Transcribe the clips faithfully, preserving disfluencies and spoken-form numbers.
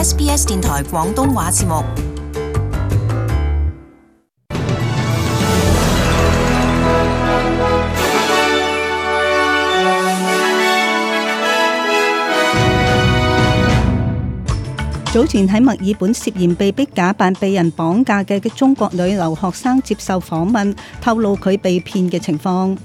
S B S 電台廣東話節目。早前喺墨爾本涉嫌被逼假扮被人綁架嘅中國女留學生接受訪問，透露佢被騙嘅情況。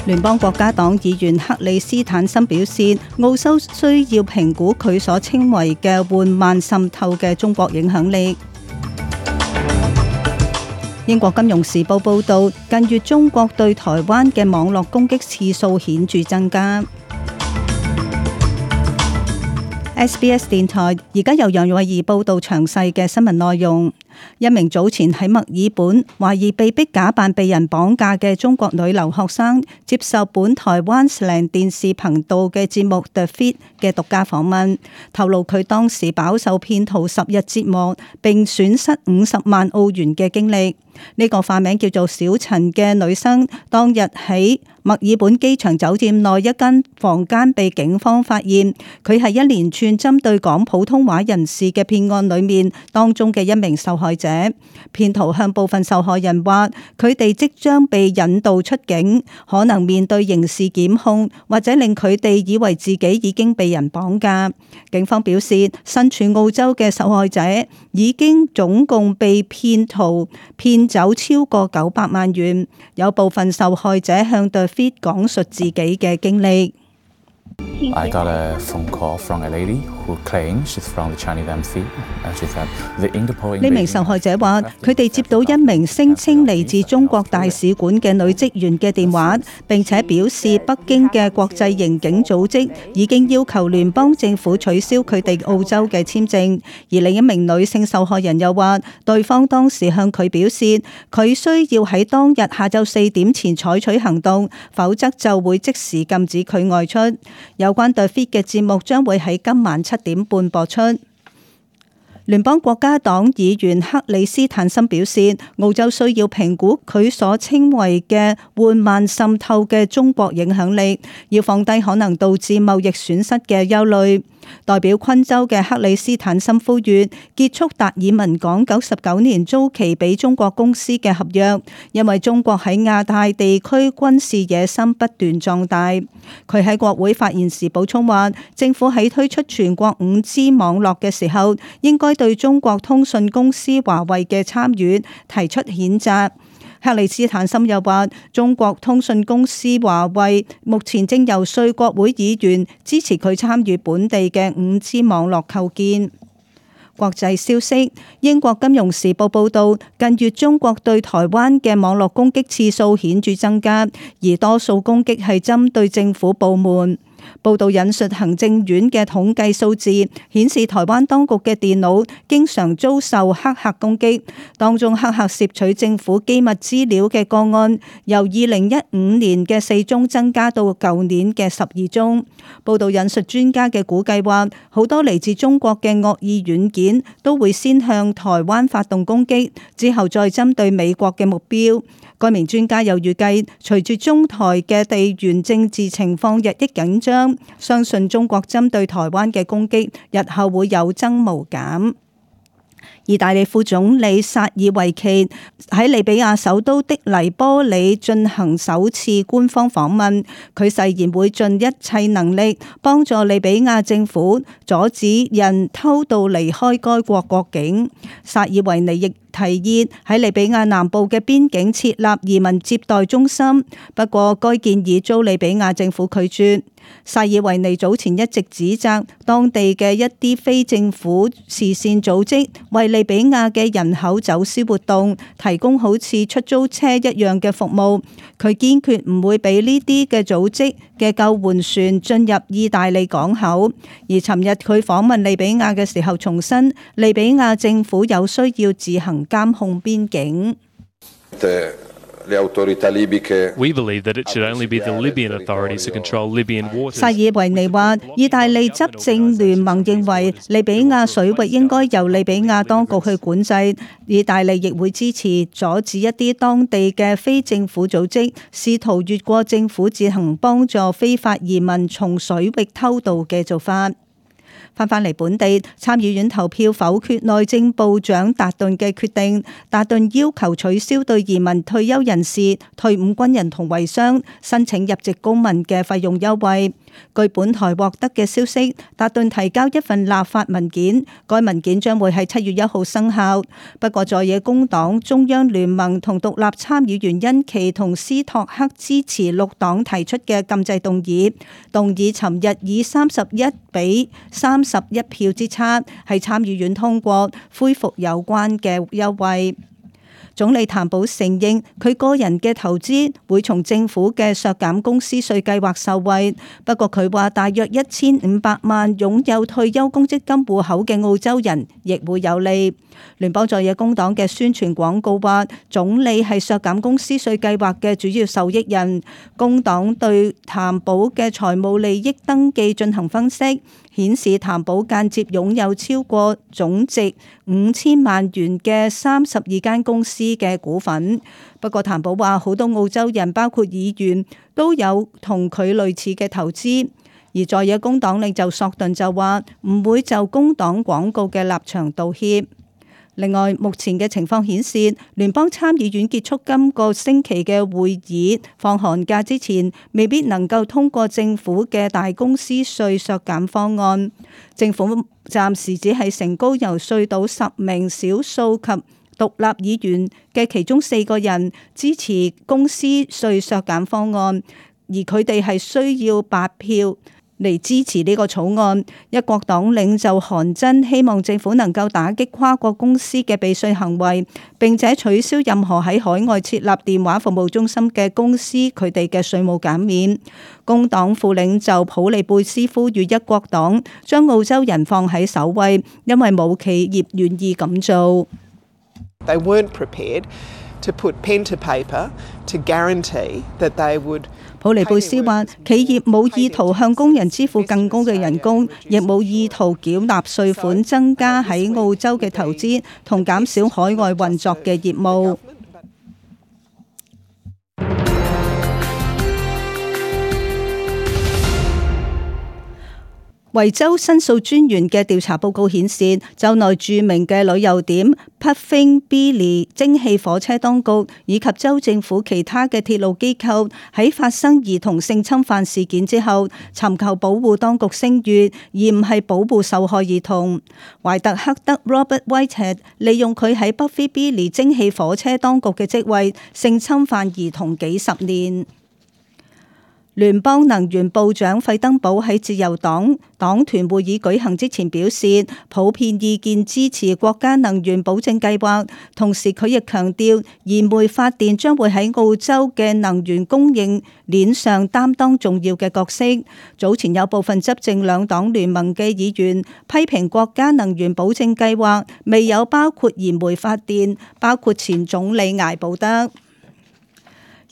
聯邦國家黨議員克里斯坦森表示，澳洲需要評估佢所稱為嘅緩慢滲透嘅中國影響力。英國金融時報報導，近月中國對台灣嘅網絡攻擊次數顯著增加。S B S 電台而家由楊慧儀報道詳細嘅新聞內容。一名早前喺墨爾本懷疑被逼假扮被人綁架嘅中國女留學生接受本台灣視頻電視頻道嘅節目 The Feed 嘅獨家訪問，透露佢當時飽受騙徒十日折磨並損失五十萬澳元嘅經歷。呢個化名叫做小陳嘅女生，當日喺墨爾本機場酒店內一間房間被警方發現，佢係一連串針對講普通話人士嘅騙案裏面當中嘅一名受害者。騙徒向部分受害人話，佢哋即將被引導出境，可能面對刑事檢控，或者令佢哋以為自己已經被人綁架。警方表示，身處澳洲嘅受害者已經總共被騙徒騙走超過九百萬元。有部分受害者向 The Feed 講述自己嘅經歷。I got a phone call from a lady who claims she's from the Chinese embassy. She said the Interpol. 呢名受害者話，佢哋接到一名聲稱嚟自中國大使館嘅女職員嘅電話，並且表示北京嘅國際刑警組織已經要求聯邦政府取消佢哋澳洲嘅簽證。而另一名女性受害人又話，對方當時向佢表示，佢需要喺當日下晝四點前採取行動，否則就會即時禁止佢外出。有關 The Feed 嘅節目將會喺今晚七點半播出。聯邦國家黨議員克里斯坦森表示，澳洲需要評估佢所稱為嘅緩慢滲透嘅中國影響力，要放低可能導致貿易損失嘅憂慮。代表昆州嘅克里斯坦森呼籲結束達爾文港九十九年租期俾中國公司嘅合約，因為中國喺亞太地區軍事野心不斷壯大。佢喺國會發言時補充話，政府喺推出全國五 G 網絡嘅時候，應該對中國通訊公司華為嘅參與提出譴責。克里斯坦森又話，中國通訊公司華為目前正遊說國會議員支持佢參與本地嘅五 G 網絡構建。國際消息，英國金融時報報道，近月中國對台灣嘅網絡攻擊次數顯著增加，而多數攻擊係針對政府部門。報道引述行政院嘅統計數字，顯示台灣當局嘅電腦經常遭受黑客攻擊，當中黑客竊取政府機密資料嘅個案，由二零一五年嘅四宗增加到舊年嘅十二宗。報道引述專家嘅估計話，好多嚟自中國嘅惡意軟件都會先向台灣發動攻擊，之後再針對美國嘅目標。該名專家又預計，隨住中台嘅地緣政治情況日益緊張，相信中國針對台灣嘅攻擊日後會有增無減。意大利副總理薩爾維奇喺利比亞首都的黎波里進行首次官方訪問，佢誓言會盡一切能力幫助利比亞政府阻止人偷渡離開該國國境。薩爾維尼亦提議喺利比亞南部嘅邊境設立移民接待中心，不過該建議遭利比亞政府拒絕。薩爾維尼早前一直指責當地嘅一啲非政府慈善組織為利比亞嘅人口走私活動提供好似出租車一樣嘅服務，佢堅決唔會俾呢啲嘅組織嘅救援船進入意大利港口。而尋日佢訪問利比亞嘅時候重申，利比亞政府有需要自行監控邊境。We believe that it should only be the Libyan authorities to control Libyan waters. 薩爾維尼話，意大利執政聯盟認為利比亞水域應該由利比亞當局去管制，意大利亦會支持阻止一啲當地嘅非政府組織試圖越過政府自行幫助非法移民從水域偷渡嘅做法。翻返嚟本地，參議院投票否決內政部長達頓嘅決定。達頓要求取消對移民退休人士、退伍軍人同遺孀申請入籍公民嘅費用優惠。據本台獲得嘅消息，達頓提交一份立法文件，該文件將會喺七月一號生效。不過在野工黨中央聯盟同獨立參議員恩琪同斯托克支持綠黨提出嘅禁制動議，動議尋日以三十一比三十一票之差喺參議院通過，恢復有關嘅優惠。總理譚寶承認佢個人嘅投資會從政府嘅削減公司稅計劃受惠，不過佢話大約一千五百萬擁有退休公積金戶口嘅澳洲人亦會有利。聯邦在野工黨嘅宣傳廣告話，總理係削減公司稅計劃嘅主要受益人。工黨對譚寶嘅財務利益登記進行分析，顯示譚寶間接擁有超過總值五千萬元嘅三十二間公司嘅股份。不過譚寶話，好多澳洲人包括議員都有同佢類似嘅投資。而在野工黨領袖索頓就話唔會就工黨廣告嘅立場道歉。另外，目前嘅情況顯示，聯邦參議院結束今個星期嘅會議，放寒假之前未必能夠通過政府嘅大公司稅削減方案。政府暫時只係成功遊說到十名少數及獨立議員嘅其中四個人支持公司稅削減方案，而佢哋係需要八票嚟支持呢個草案。一國黨領袖韓真希望政府能夠打擊跨國公司嘅避稅行為，並且取消任何喺海外設立電話服務中心嘅公司佢哋嘅稅務減免。工黨副領袖普利貝斯呼籲一國黨將澳洲人放喺首位，因為冇企業願意咁做。They weren't prepared to put pen to paper to guarantee that they would。普利貝斯話：企業冇意圖向工人支付更高嘅人工，亦冇意圖繳納稅款，增加喺澳洲嘅投資同減少海外運作嘅業務。維州申訴專員嘅調查報告顯示，州內著名嘅旅遊點 Puffing Billy 蒸汽火車當局以及州政府其他嘅鐵路機構喺發生兒童性侵犯事件之後，尋求保護當局聲譽，而唔係保護受害兒童。懷特克德 Robert Whitehead 利用佢喺 Puffing Billy 蒸汽火車當局嘅職位，性侵犯兒童幾十年。聯邦能源部長費登堡喺自由黨黨團會議舉行之前表示，普遍意見支持國家能源保證計劃，同時佢亦強調燃煤發電將會喺澳洲嘅能源供應鏈上擔當重要嘅角色。早前有部分執政兩黨聯盟嘅議員批評國家能源保證計劃未有包括燃煤發電，包括前總理艾布德。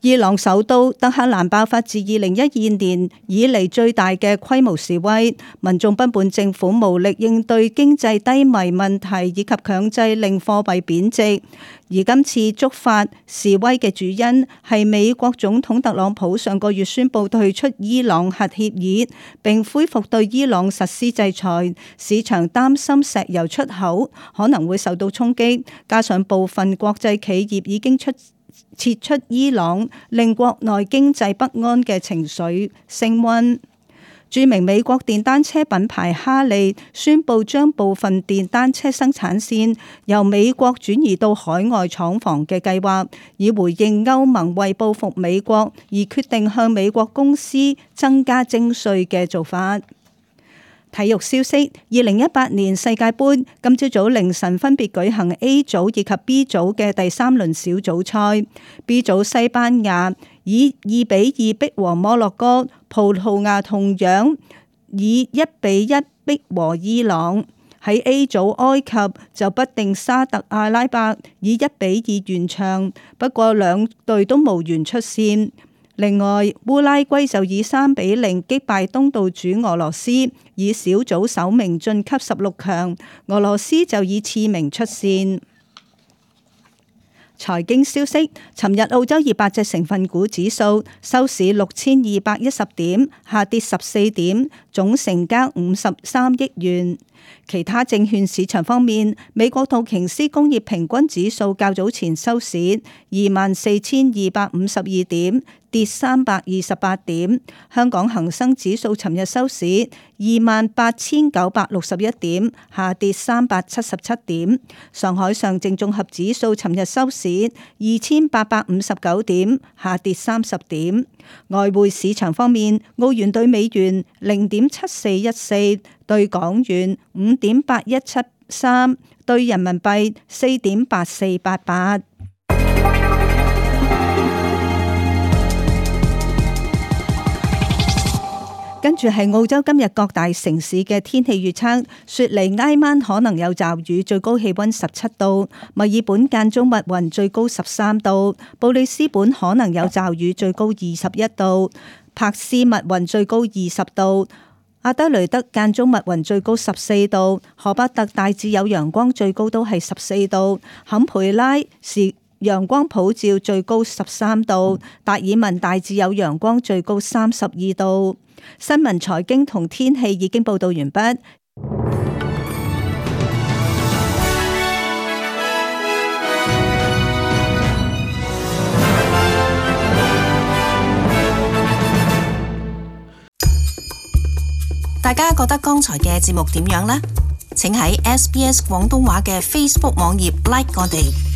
伊朗首都德黑蘭爆發自二零一二年以嚟最大嘅規模示威，民眾不滿政府無力應對經濟低迷問題以及強制令貨幣貶值。而今次觸發示威嘅主因係美國總統特朗普上個月宣布退出伊朗核協議，並恢復對伊朗實施制裁。市場擔心石油出口可能會受到衝擊，加上部分國際企業已經出撤出伊朗，令國內經濟不安嘅情緒升溫。著名美國電單車品牌哈利宣布將部分電單車生產線由美國轉移到海外廠房嘅計劃，以回應歐盟為報復美國而決定向美國公司增加徵稅嘅做法。體育消息：二零一八年世界盃今朝早凌晨分別舉行 A 組以及 B 組嘅第三輪小組賽。B 組西班牙以二比二逼和摩洛哥，葡萄牙同樣以一比一逼和伊朗。喺 A 組埃及就不敵沙特阿拉伯，以一比二完場，不過兩隊都無緣出線。另外，烏拉圭就以三比零擊敗東道主俄羅斯，以小組首名晉級十六強。俄羅斯就以次名出線。財經消息，尋日澳洲二百隻成分股指數收市六千二百一十點，下跌十四點，總成交五十三億元。其他證券市場方面，美國道瓊斯工業平均指數較早前收市二萬四千二百五十二點，跌三百二十八點。香港恒生指數尋日收市二萬八千九百六十一點，下跌三百七十七點。上海上證綜合指數尋日收市二千八百五十九點，下跌三十點。外匯市場方面，澳元兌美元零點七四一四，兌港元五點八一七三，兌人民幣四點八四八八。跟住係澳洲今日各大城市嘅天氣預測：雪梨挨晚可能有驟雨，最高氣溫十七度；墨爾本間中密雲，最高十三度；布里斯本可能有驟雨，最高二十一度；柏斯密雲，最高二十度；阿德雷德間中密雲，最高十四度；荷伯特大致有陽光，最高都係十四度；坎培拉是陽光普照，最高十三度；達爾文大致有陽光，最高三十二度。新聞、財經同天氣已經報道完畢。大家覺得剛才嘅節目點樣呢？請喺 S B S 廣東話嘅 Facebook 網頁 like 我哋。